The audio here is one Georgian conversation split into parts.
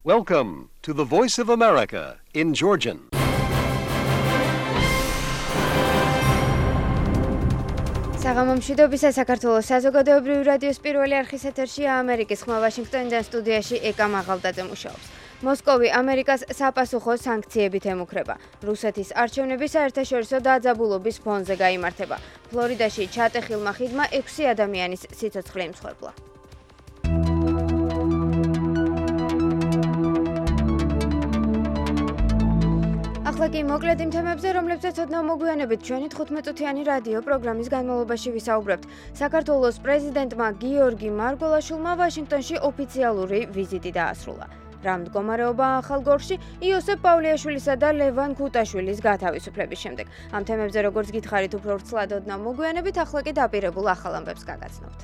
Welcome to the Voice of America in Georgian. საღამომშვიდობისა საქართველოს საზოგადოებრივი რადიოს პირველი არხის ეთერშია ამერიკის ხმა ვაშინგტონიდან სტუდიაში ეკა მაღალდაძე მუშაობს. მოსკოვი ამერიკას საფასუხო სანქციებით ემუქრება. რუსეთის არჩევნები საერთაშორისო დაძაბულობის ფონზე გაიმართება. ფლორიდაში ჩატეხილმა ხიდმა 6 ადამიანის სიცოცხლე იმსხვერპლა. ახლა კი მოკლედ იმ თემებზე, რომლებზეც ოდნავ მოგვიანებით ჩვენი 15-წუთიანი რადიო პროგრამის განმავლობაში ვისაუბრებთ. საქართველოს პრეზიდენტმა გიორგი მარგველაშვილმა ვაშინგტონში ოფიციალური ვიზიტი დაასრულა. რა მდგომარეობაა ახალ გორში იოსებ პავლიაშვილისა და ლევან ქუტაშვილის გათავისუფლების შემდეგ. ამ თემებზე როგორც გითხარით უფრო ვრცლად ოდნავ მოგვიანებით, ახლა კი დაპირებულ ახალ ამბებს გაგაცნობთ.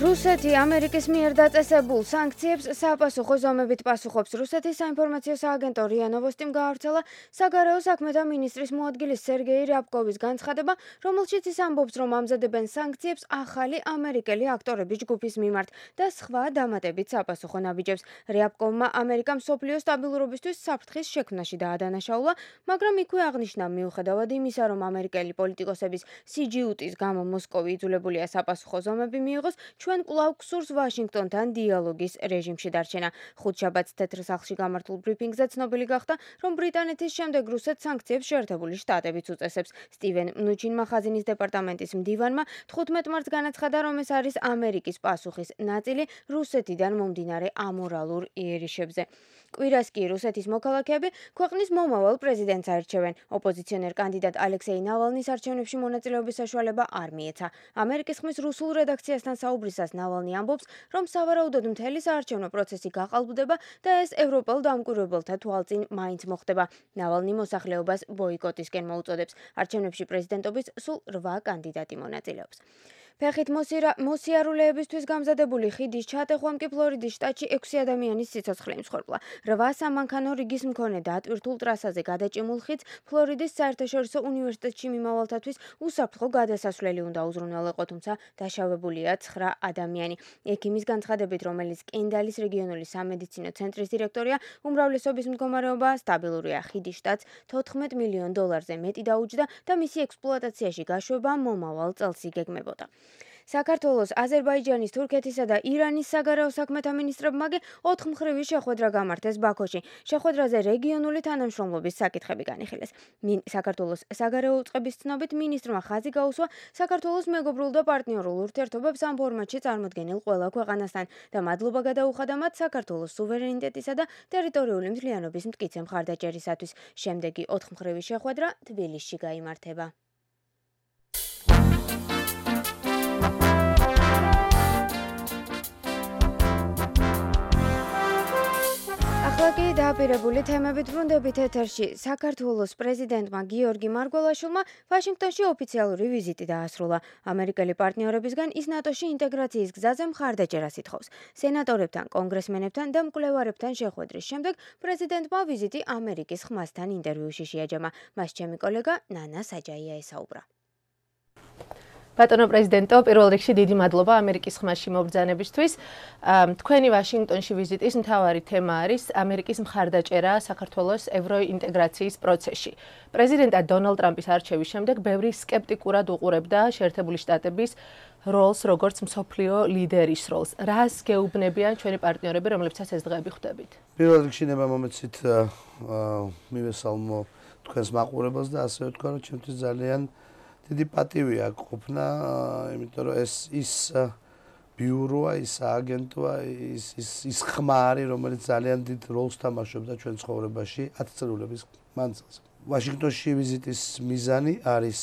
რუსეთი ამერიკის მიერ დაწესებულ სანქციებს საფასუხო ზომებით პასუხობს. რუსეთის საინფორმაციო სააგენტო რია ნოვოსტიმ გაავრცელა საგარეო საქმეთა მინისტრის მოადგილის სერგეი რიაბკოვის განცხადება, რომელშიც ის ამბობს, რომ ამზადებენ სანქციებს ახალი ამერიკელი აქტორების ჯგუფის მიმართ და სხვა დამატებით საფასუხო ნაბიჯებს. რიაბკოვმა ამერიკამ მსოფლიო სტაბილურობისთვის საფრთხის შექმნაში დაადანაშაულა, მაგრამ იქვე აღნიშნა, მიუხედავად იმისა, რომ ამერიკელი პოლიტიკოსების სიჯიუტის გამო მოსკოვი იძულებულია საფასუხო ზომები მიიღოს, ჩვენ კვლავ გსურს ვაშინგტონთან დიალოგის რეჟიმში დარჩენა. ხუთშაბათს თეთრ სახლში გამართულ ბრიფინგზე ცნობილი გახდა, რომ ბრიტანეთის შემდეგ რუსეთს სანქციებს შეერთებული შტატებიც უწესებს. სტივენ მნუჩინმა ხაზინის დეპარტამენტის მდივანმა 15 მარტს განაცხადა, რომ ეს არის ამერიკის პასუხის ნაწილი რუსეთიდან მომდინარე ამორალურ იერიშებზე. კვირას კი რუსეთის მოქალაქეები ქვეყნის მომავალ პრეზიდენტს აირჩევენ. ოპოზიციონერ კანდიდატ ალექსეი ნავალნის არჩევნებში მონაწილეობის საშუალება არ მიეცა. ამერიკის ხმის რუსულ რედაქციასთან საუბრისას ნავალნი ამბობს, რომ სავარაუდოდ მთელი საარჩევნო პროცესი გაყალბდება და ეს ევროპელ დამკვირვებელთა თვალწინ მაინც მოხდება. ნავალნი მოსახლეობას ბოიკოტისკენ მოუწოდებს. არჩევნებში პრეზიდენტობის სულ 8 კანდიდატი მონაწილეობს. ფეხით მოსიარულეებისთვის გამზადებული ხიდის ჩატეხვამ კი ფლორიდის შტატში 6 ადამიანის სიცოცხლე იმსხვერპლა. 8 სამანქანო რიგის მქონე დატვირთულ ტრასაზე გადაჭიმულ ხიდს ფლორიდის საერთაშორისო უნივერსიტეტში მიმავალთათვის უსაფრთხო გადასასვლელი უნდა უზრუნველყო, თუმცა დაშავებულია 9 ადამიანი. ექიმის განცხადებით, რომელიც კენდალის რეგიონული სამედიცინო ცენტრის დირექტორია, უმრავლესობის მდგომარეობა სტაბილურია. ხიდის შტატს $14 მილიონ მეტი დაუჯდა და მისი ექსპლუატაციაში გაშვება მომავალ წელს იგეგმებოდა. საქართველოს, აზერბაიჯანის, თურქეთისა და ირანის საგარეო საქმეთა მინისტრებმა კი 4 მხრივი შეხვედრა გამართეს ბაქოში. შეხვედრაზე რეგიონული თანამშრომლობის საკითხები განიხილეს. საქართველოს საგარეო უწყების ცნობით მინისტრმა ხაზი გაუსვა საქართველოს მეგობრულ და პარტნიორულ ურთიერთობებს ამ ფორმატში წარმოდგენილ ყველა ქვეყანასთან და მადლობა გადაუხადა მათ საქართველოს სუვერენიტეტისა და ტერიტორიული მთლიანობის მტკიცე მხარდაჭერისათვის. შემდეგი 4 მხრივი შეხვედრა თბილისში გაიმართება. ახლა დაპირებული თემებით ბრუნდებით ეთერში. საქართველოს პრეზიდენტმა გიორგი მარგველაშვილმა ვაშინგტონში ოფიციალური ვიზიტი დაასრულა. ამერიკელი პარტნიორებისგან ის ნატოში ინტეგრაციის გზაზე მხარდაჭერას ითხოვს. სენატორებთან, კონგრესმენებთან და მკვლევარებთან შეხვედრის შემდეგ პრეზიდენტმა ვიზიტი ამერიკის ხმასთან ინტერვიუში შეაჯამა. მას ჩემი კოლეგა ნანა საჯაია ესაუბრა. ბატონო პრეზიდენტო, პირველ რიგში დიდი მადლობა ამერიკის ხმაში მობრძანებისთვის. თქვენი ვაშინგტონში ვიზიტის მთავარი თემა არის ამერიკის მხარდაჭერა საქართველოს ევროინტეგრაციის პროცესში. პრეზიდენტად დონალდ ტრამპის არჩევის შემდეგ ბევრი სკეპტიკურად უყურებდა შეერთებული შტატების როლს, როგორც მსოფლიო ლიდერის როლს. რას გეუბნებიან ჩვენი პარტნიორები, რომლებსაც ეს დღეები ხვდებით? პირველ რიგში ნება მომეცით მივესალმო თქვენს მაყურებელს და ასევე ვთქვა, რომ ჩემთვის ძალიან დიდი პატივია ყოფნა, იმიტომ რომ ის ბიუროა, ის აგენტოა, ის ხმა არის, რომელიც ძალიან დიდ როლს თამაშობდა ჩვენ ცხოვრებაში 10 წლების მანძილზე. ვაშინგტონში ვიზიტის მიზანი არის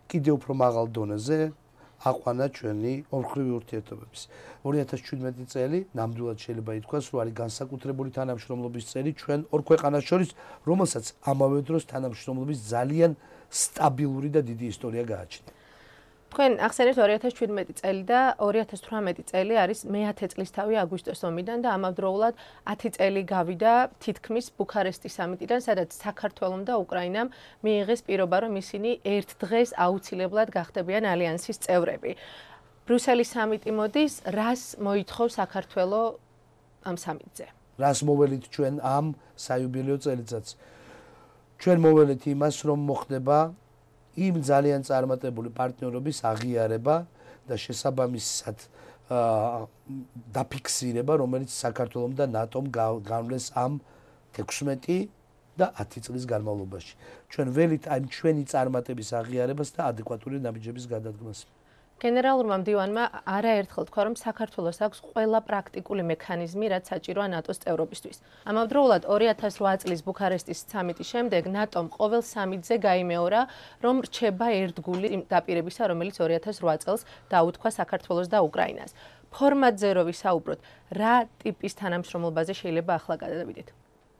კიდევ უფრო მაღალ დონეზე აყვანა ჩვენი ორმხრივი ურთიერთობების. 2017 წელი ნამდვილად შეიძლება ითქვას, რომ არის განსაკუთრებული თანამშრომლობის წელი ჩვენ ორ ქვეყანას შორის, რომელსაც ამავე დროს თანამშრომლობის ძალიან სტაბილური და დიდი ისტორია გააჩნია. თქვენ ახსენებთ 2017 წელი და 2018 წელი არის მე-10 წლისთავი აგვისტოს ომიდან და ამავდროულად 10 წელი გავიდა თითქმის ბუქარესტის სამიტიდან, სადაც საქართველომ და უკრაინამ მიიღეს პირობა, რომ ისინი ერთ დღეს აუცილებლად გახდებიან ალიანსის წევრები. ბრიუსელის სამიტი მოდის, რას მოითხოვს საქართველო ამ სამიტზე? რას მოველით ჩვენ ამ საიუბილეო წელიწადს? ჩვენ მოველით იმას, რომ მოხდება იმ ძალიან წარმატებული პარტნიორობის აღიარება და შესაბამისად დაფიქსირება, რომელიც საქართველომ და ნატომ განვლეს ამ 16 და 10 წლის განმავლობაში. ჩვენ ველით ამ ჩვენი წარმატების აღიარებას და ადეკვატური ნაბიჯების გადადგმას. გენერალურმა მდივანმა არაერთხელ თქვა, რომ საქართველოს აქვს ყველა პრაქტიკული მექანიზმი, რაც საჭიროა ნატოს წევრობისთვის. ამავდროულად 2008 წლის ბუქარესტის სამიტის შემდეგ ნატომ ყოველ სამიტზე გაიმეორა, რომ რჩება ერთგული იმ დაპირებისა, რომელიც 2008 წელს დაუთქვა საქართველოს და უკრაინას. ფორმატზე რო ვისაუბროთ, რა ტიპის თანამშრომლობაზე შეიძლება ახლა გადავიდეთ?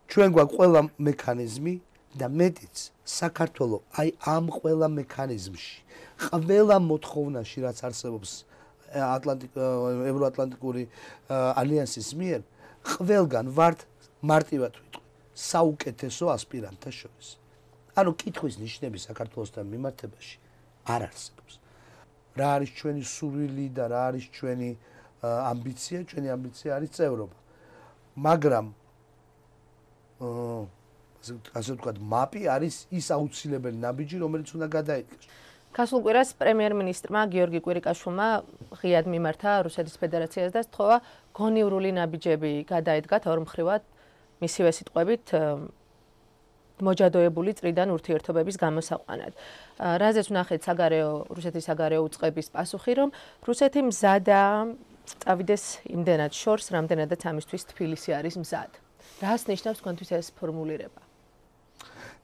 ჩვენ გვაქვს ყველა მექანიზმი და მეტიც საქართველო აი ამ ყველა მექანიზმში ყველა მოთხოვნაში რაც არსებობს ევროატლანტიკური ალიანსის მიერ ყველგან ვართ მარტივად ვიტყვი საუკეთესო ასპირანტთა შორის. ანუ კითხვის ნიშნები საქართველოსთან მიმართებაში არ არსებობს. რა არის ჩვენი სურვილი და რა არის ჩვენი ამბიცია? ჩვენი ამბიცია არის წევრობა. მაგრამ ასე ვთქვათ, მაპი არის ის აუცილებელი ნაბიჯი, რომელიც უნდა გადაიდგეს. გასულ კვირას პრემიერ-მინისტრმა გიორგი კვირიკაშვილმა ღიად მიმართა რუსეთის ფედერაციას და სთხოვა გონივრული ნაბიჯები გადაედგათ ორმხრივად მისივე სიტყვებით მოჯადოებული წრიდან ურთიერთობების გამოსაყვანად. რაზეც ვნახეთ რუსეთის საგარეო უწყების პასუხი, რომ რუსეთი მზადა წავიდეს იმდენად შორს, რამდენადაც ამისთვის თბილისი არის მზად. რას ნიშნავს თქვენთვის ეს ფორმულირება?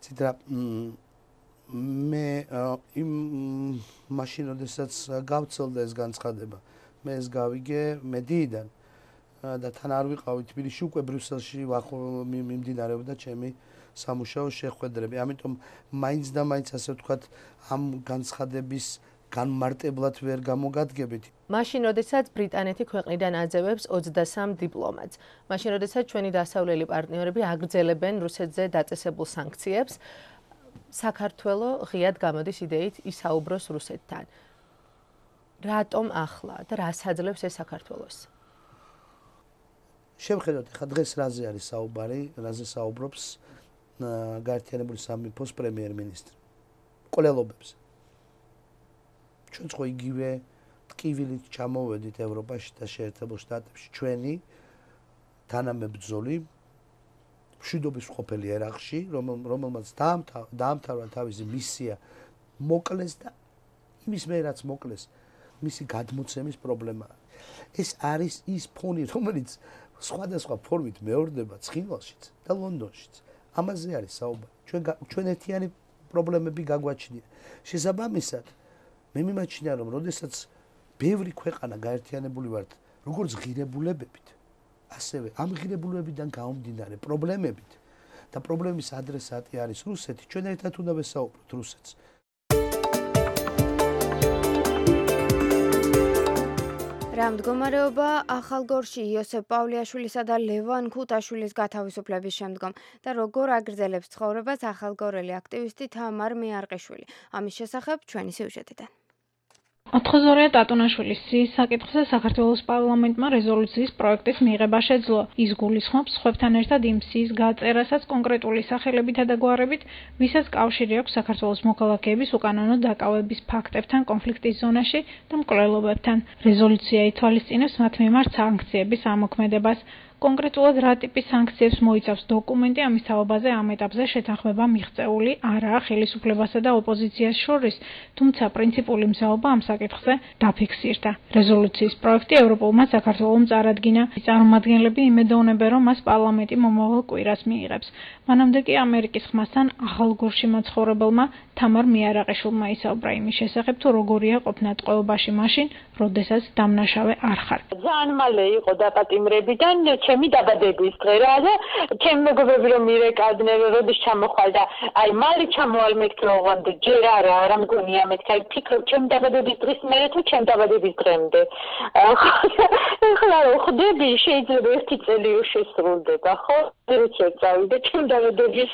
ციტა მე იმ მაშინ როდესაც გავცელდა ეს განცხადება, მე ეს გავიგე მედიიდან და თან არ ვიყავი თბილისში, უკვე ბრიუსელში მიმდინარეობდა ჩემი სამუშაო შეხვედრები. ამიტომ მაინც და მაინც ასე ვთქვათ, ამ განცხადების განმარტებლად ვერ გამოგადგებით. მაშინ, როდესაც ბრიტანეთი ქვეყნიდან აძევებს 23 დიპლომატს, მაშინ, როდესაც ჩვენი დასავლელი პარტნიორები აგრძელებენ რუსეთზე დაწესებულ სანქციებს, საქართველო ღიად გამოდის იდეით ისაუბროს რუსეთთან. რატომ ახლა და რას აძლევს ეს საქართველოს? შევხედოთ, ხა დღეს რაზე არის საუბარი, რაზე საუბრობს გაერთიანებული სამეფოს პრემიერ-მინისტრი. კვლელობებზე. ჩვენც ხო იგივე ტკივილით ჩამოვედით ევროპაში და შეერთებულ შტატებში ჩვენი თანამებრძოლი მშვიდობის მყოფელი ერაყში, რომელმაც დაამთავრა თავისი მისია მოკლეს და იმის მე რაც მოკლეს მისი გადმოცემის პრობლემა. ეს არის ის ფონი, რომელიც სხვადასხვა ფორმით მეორდება ცხინვალშიც და ლონდონშიც. ამაზე არის საუბარი. ჩვენ ერთიანი პრობლემები გაგვაჩნია. შესაბამისად, მე მიმაჩნია, რომ როდესაც ბევრი ქვეყანა გაერთიანებული ვართ, როგორც ღირებულებებით, ასევე ამ ღირებულებებიდან გამომდინარე პრობლემებით და პრობლემის ადრესატი არის რუსეთი, ჩვენ ერთად უნდა ვესაუბროთ რუსეთს. რა მდგომარეობა ახალგორში იოსებ პავლიაშვილისა და ლევან ქუთაშვილის გათავისუფლების შემდგომ და როგორ აგრძელებს ცხოვრებას ახალგორელი აქტივისტი თამარ მეარყიშვილი. ამის შესახებ ჩვენი სიუჟეტიდან. ოთხზორია ტატუნაშვილის სიის საკითხზე საქართველოს პარლამენტმა რეზოლუციის პროექტის მიღება შეძლო. ის გულისხმობს სხვებთან ერთად იმ სიის გაწერასაც კონკრეტული სახელებითა და გვარებით, ვისაც კავშირი აქვს საქართველოს მოქალაქეების უკანონო დაკავების ფაქტებთან კონფლიქტის ზონაში და მკვლელობებთან. რეზოლუცია ითვალისწინებს მათ მიმართ სანქციების ამოქმედებას. კონკრეტულად რა ტიპის სანქციებს მოიცავს დოკუმენტი, ამის თაობაზე ამ ეტაპზე შეთანხმება მიღწეული არაა ხელისუფლებასა და ოპოზიციას შორის, თუმცა პრინციპული მზაობა ამ საკითხზე დაფიქსირდა. რეზოლუციის პროექტი ევროპულმა საქართველომ წარადგინა. წარმომადგენლები იმედოვნებენ, რომ მას პარლამენტი მომავალ კვირას მიიღებს. მანამდე კი ამერიკის ხმასთან ახალგორში მაცხოვრებელმა თამარ მიარაყიშვილმა ისაუბრა იმის შესახებ, თუ როგორია ყოფნა ტყვეობაში მაშინ, როდესაც დამნაშავე არ ხარ. ძალიან მალე იყო დაპატიმრებიდან ჩემი დაბადების დღე რა და ჩემი მეგობრები რომ მირეკავდნენ, როდის ჩამოხვალ და აი მალე ჩამოვალ მეთქე ოღონდ ჯერ არა მგონია მეთქე ფიქრობ ჩემი დაბადების დღის მერე თუ ჩემი დაბადების დღემდე. ახლა ხვდები შეიძლება ერთი წელი შესრულდება ხო? როცა წავიდე ჩემი დაბადების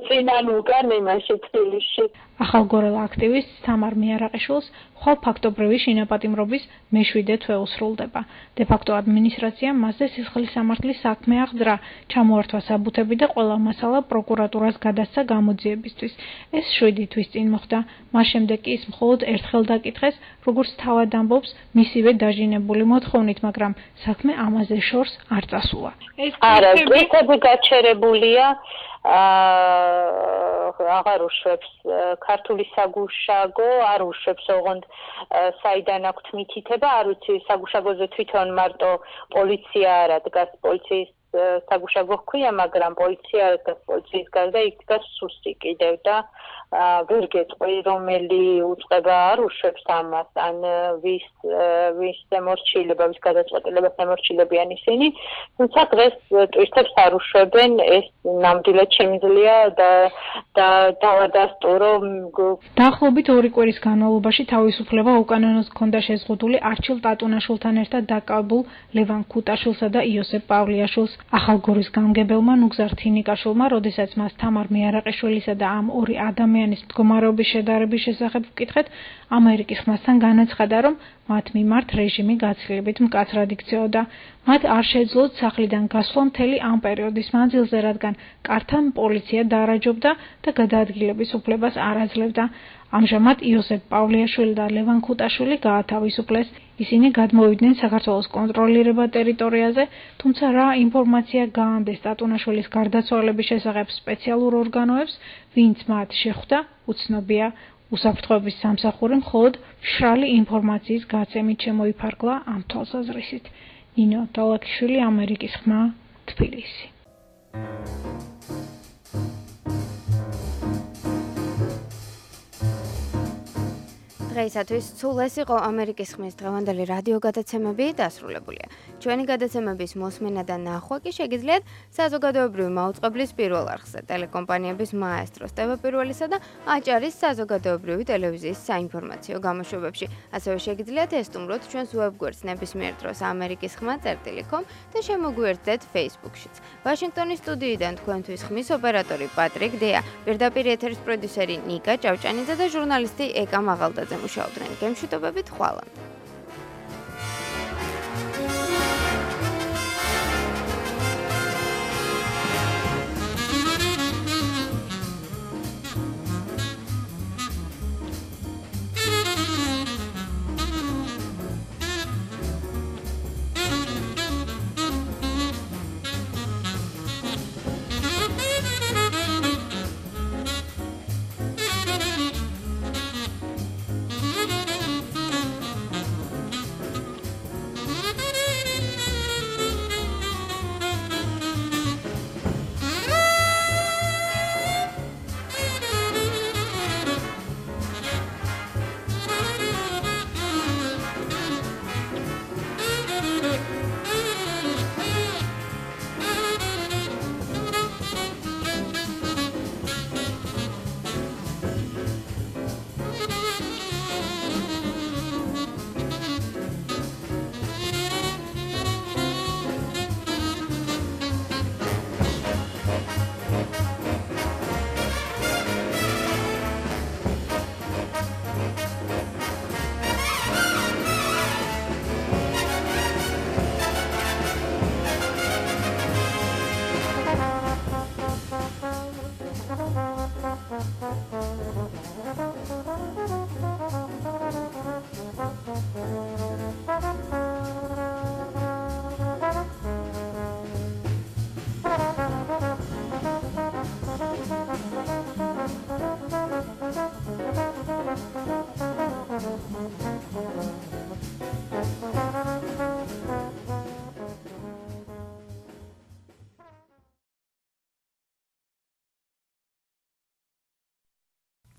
წინან უკან იმაში თბილისში. ახალგორელ აქტივისტ თამარ მიარაყიშვილს ხვალ ფაქტობრივი შინაპატიმრობის მე-7 თვე უსრულდება. დე-ფაქტო ადმინისტრაციამ მასზე სისხლის სამართლის საქმე აღძრა, ჩამოართვა საბუთები და ყველა მასალა პროკურატურას გადასცა გამოძიებისთვის. ეს 7 თვის წინ მოხდა. მას შემდეგ კი ის მხოლოდ ერთხელ დაკითხეს, როგორც თავად ამბობს, მისივე დაჟინებული მოთხოვნით, მაგრამ საქმე ამაზე შორს არ წასულა. არა, ტვიტები გაჩერებულია. აღარ უშვებს ქართული საგუშაგო არ უშვებს ოღონდ საიდან აქვთ მითითება არ ვიცი საგუშაგოზე თვითონ მარტო პოლიცია არა დგას პოლიციის საგუშაგო ჰქვია მაგრამ პოლიცია არ დგას პოლიციის გარდა იქ დგას სუსტი კიდევ და ვერ გეტყვი რომელი უწყება არ უშვებს ამას ან ვის ემორჩილება ვის გადაწყვეტილებას ემორჩილებიან ისინი თუმცა დღეს ტვირთებს არ უშვებენ ეს ნამდვილად შემიძლია და დავადასტურო დაახლოებით 2 კვირის განმავლობაში თავისუფლება უკანონოდ ჰქონდა შეზღუდული არჩილ ტატუნაშვილთან ერთად დაკავებულ ლევან ქუტაშვილსა და იოსებ პავლიაშვილს ახალგორის გამგებელმა ნუგზარ თინიკაშვილმა როდესაც მას თამარ მიარაყიშვილისა და ამ ორი ადამიანის მდგომარეობის შედარების შესახებ ვკითხეთ ამერიკის ხმასთან განაცხადა რომ მათ მიმართ რეჟიმი გაცილებით მკაცრად იქცეოდა მათ არ შეძლოთ სახლიდან გასვლა მთელი ამ პერიოდის მანძილზე რადგან კართან პოლიცია დაარაჯობდა და გადაადგილების უფლებას არ აძლევდა ამჟამად იოსებ პავლიაშვილი და ლევან ქუტაშვილი გაათავისუფლეს ისინი გადმოვიდნენ საქართველოს კონტროლირებად ტერიტორიაზე თუმცა რა ინფორმაცია გაანდეს ტატუნაშვილის გარდაცვალების შესახებ სპეციალურ ორგანოებს ვინც მათ შეხვდა უცნობია უსაფრთხოების სამსახური მხოლოდ მშრალი ინფორმაციის გაცემით შემოიფარგლა ამ თვალსაზრისით ნინო დალაკიშვილი ამერიკის ხმა თბილისი დღეისათვის სულ ეს იყო ამერიკის ხმის დღევანდელი რადიო გადაცემები დასრულებულია. ჩვენი გადაცემების მოსმენა და ნახვა კი შეგიძლიათ საზოგადოებრივი მაუწყებლის პირველ არხზე, ტელეკომპანიების მაესტროს, TV1-სა და აჭარის საზოგადოებრივი ტელევიზიის საინფორმაციო გამოშვებებში. ასევე შეგიძლიათ ესტუმროთ ჩვენს ვებგვერდს ნებისმიერ დროს amerikiskhma.com და შემოგვიერთდეთ Facebook-შიც. ვაშინგტონის სტუდიიდან თქვენთვის ხმის ოპერატორი პატრიკ დეა, პირდაპირ ეთერის პროდიუსერი ნიკა ჭავჭანიძე და ჟურნალისტი ეკა მაღალდაძე მუშაობდნენ გემშვიდობებით ხვალამდე.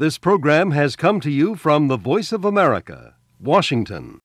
This program has come to you from the Voice of America, Washington.